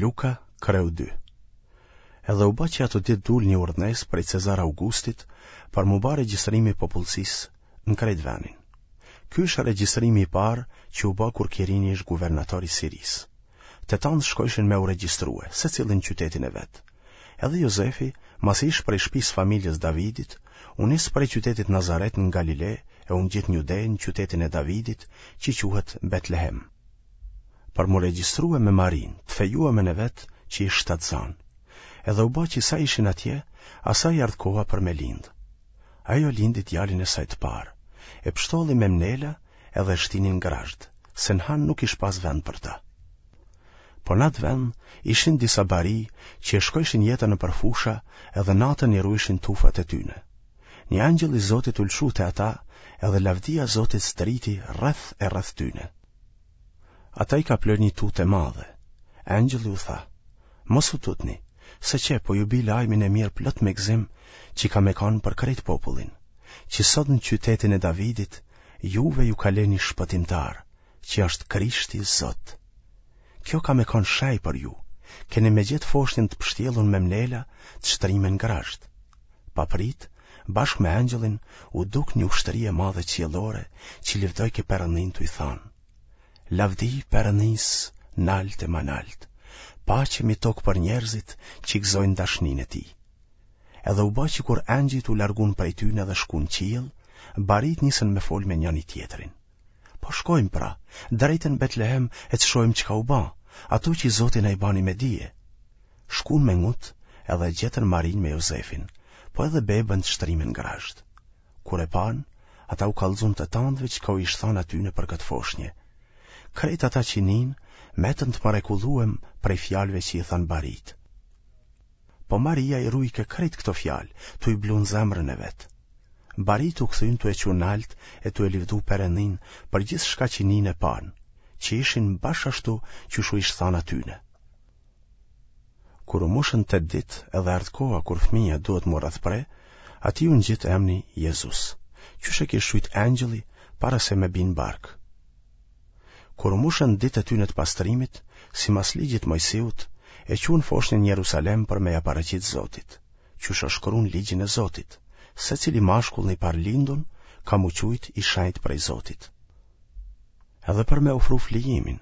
Luka, kreu 2 Edhe u ba që ato ditë dul një urdhnesë prej Cezar Augustit për m'u ba regjistrimi i popullsisë në krejt venin. Ky ish regjistrimi i parë që u ba kur Kirini ish guvernator i Sirisë. Të tanë shkojshin me u regjistrue, secili në qytetin e vet. Edhe Jozefi, masi ish prej shpisë familjes Davidit, u nis prej qytetit Nazaret në Galile e u ngjit në Jude në qytetin e Davidit, që quhet Betlehem. Për m'u regjistrue me Marinë, të fejuemen e vet, që ish shtatzanë. Edhe u ba që sa ishin atje, asaj i erdh koha për me lindë. Ajo lindi djalin e saj të parë, e pshtolli me mnela edhe e shtini në grazhd, se në han nuk ish pas vend për ta. Po n'atë vend ishin disa bari që e shkojshin jetën nëpër fusha edhe natën i ruajshin tufat e tyne. Një engjëll i Zotit u lëshu te ata edhe lavdia e Zotit zdriti rreth e rreth tyne. Ata i kaploi një tutë e madhe. Engjëlli u tha, Mos u tutni, se qe po ju bi lajmin e mirë plot me gëzim që ka me kanë për krejt popullin, që sot në qytetin e Davidit juve ju ka lind një shpëtimtar, që është Krishti Zot. Kjo ka me kanë shej për ju, keni me gjetë foshnjën të pshtjellun me mnela të shtrime në grazhd. Paprit, bashkë me engjëllin, u duk një ushtri e madhe qiellore që livdojke Perëndinë tuj thanë. Lavdi Perëndisë nalt e ma nalt, paqe mi tokë për njerëzit që gëzojnë dashninë e tij. Edhe u ba që kur engjëjt u largun prej tyne dhe shkun n'qiell, baritë nisën me fol me njëni tjetrin. Po shkojmë pra, drejt në Betlehem e të shohim çka u ba, ato që Zoti na i bani me dije. Shkun me ngut edhe e gjetën Marinë me Jozefin, po edhe bebën të shtrime në grazhd. Kur e panë, ata u kallxun të tandëve çka u ish thanë atyne për këtë foshnje. Krejt ata që ninë, metën të mrekulluem prej fjalëve që i thanë baritë. Po Maria i rujke krejt këto fjalë, tu i blu në zemrën e vet. Baritë u kthyn tu e çu nalt e tu e livdu Perëndinë për gjithçka që ninë e panë, që ishin bash ashtu qysh u ish thanë atyne. Kur u mushën tetë ditë edhe erdh koha kur fëmija duhet m'u rrethpre, atij iu ngjit emni Jezus, qysh e kish qujt engjëlli para se me bi në bark. Kur u mushën ditët e tyne të pastrimit, simas ligjit Mojsiut, e çunë foshnjën në Jerusalem për me ja paraqit Zotit, qysh o shkru në ligjin e Zotit, secili mashkull i parëlindun ka m'u qujt i shenjtë prej Zotit. Edhe për me ofru flijimin,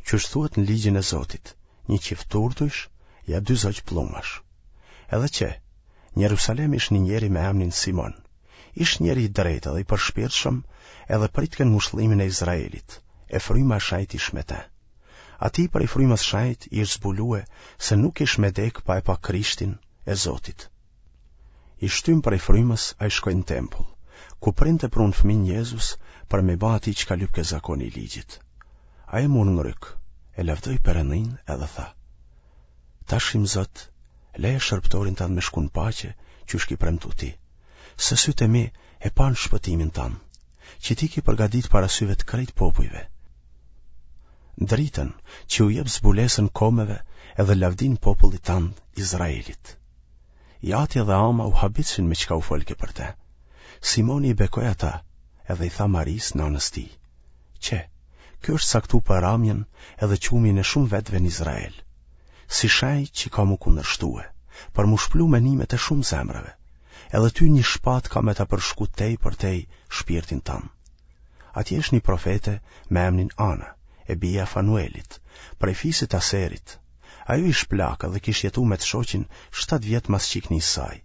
qysh thuhet në ligjin e Zotit, një çift turtujsh, ja dy zogj pëllumbash. Edhe qe, në Jerusalem ish një njeri me emnin Simon, ish njeri i drejtë edhe i përshpirtshëm, edhe pritke ngushëllimin e Izraelit, e fryma e shejtë ish me te. Atij prej frymës shejtë i ish zbulue se nuk ish me dekë pa e pa Krishtin e Zotit. I shtym prej frymës, ai shkoi në tempull, ku prindët e prunë fëmijën Jezus për me ba atij çka lypke zakoni i ligjit. Ai e mur n'grykë, e lavdoi Perëndinë edhe tha: Tash im Zot, leje shërbëtorin tand me shku në paqe, qysh ki premtu ti, se sytë e mi e panë shpëtimin tand, që ti ki përgatit para syve të krejt popujve. Dritën që u jep zbulesën komeve edhe lavdinë popullit tand Izraelit. I ati dhe ama u habitshin me çka u folke për te. Simoni i bekoi ata edhe i tha Marisë nanës tij. Qe, ky është caktu për ramjen edhe qumjen e shumë vetëve në Izrael. Si shenjë që ka m'u kundërshtue, për m'u shplu menimet e shumë zemrave, edhe ty një shpatë ka me ta përshku tej për tej shpirtin tand. Atje ish një profete me emnin Ana, e bija e Fanuelit, prej fisit Aserit, Ajo ish plakë dhe kish jetu me të shoqin 7 vjet mas qiknisë saj.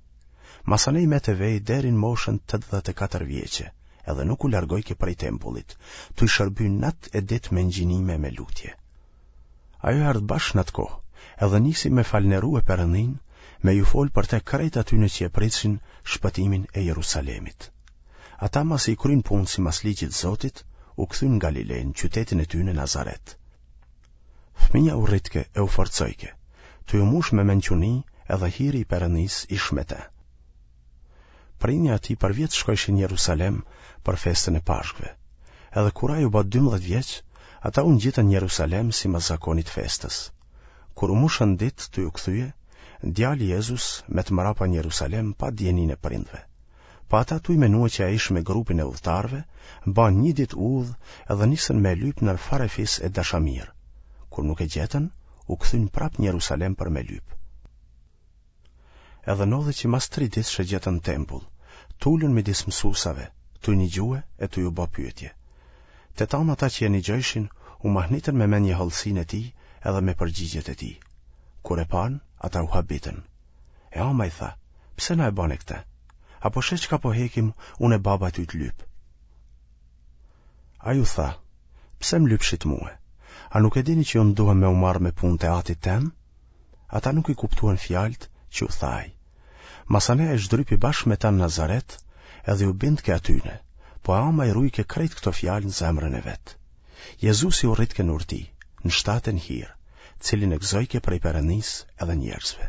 Masanej met e vej deri në moshën 84 vjeçe, edhe nuk u largojke prej tempullit, tuj shërby natë e ditë me ngjinime e me lutje. Ajo erdh bash në atë kohë, edhe nisi me falënderue Perëndinë, me ju folë për te krejt atyne që e pritshin shpëtimin e Jerusalemit. Ata masi i kryn punët simas ligjit Zotit, u kthyn në Galile, në qytetin e tyne Nazaret. Fëmija u rritke e u forcojke, tuj u mush me mençuni edhe hiri i Perëndisë ish me te. Prini i atij përvjet shkojshin në Jerusalem për festën e Pashkëve. Edhe kur ai u bë 12 vjeç, ata u ngjitën në Jerusalem simas zakonit festës. Kur u mushën ditë tuj u kthye, djali Jezus met mrapa në Jerusalem pa dijeninë e prindve. Po ata tuj menue që ai ish me grupin e udhëtarëve, banë një ditë udhë edhe nisën me e lypë nër farefis e dashamirë. Kur nuk e gjetën, u kthyn prapë në Jerusalem për me lypë. Edhe ndodhi që mas tri ditësh e gjetën në tempull, t'ulun midis mësusave, tuj nigjue e tuj u ba pyetje. Të tanë ata që e nigjojshin, u mahnitën me mendjehollësinë e tij edhe me përgjigjet e tij. Kur e panë, ata u habitën. E ama i tha, pse na e bane këtë? A po sheh çka po hekim unë e baba tuj të lypë? Ai u tha, pse më lypshit mue? A nuk e dini që unë duhem me u marrë me punët e atit tem? Ata nuk i kuptuan fjalët që u tha ai. Masanej ai zhdrypi bashkë me ta në Nazaret edhe u bindke atyne, po e ama i rujke krejt këto fjalë në zemrën e vet. Jezusi u rritke në urti, në shtat e në hir, cilin e gëzojke prej Perëndisë edhe njerëzve.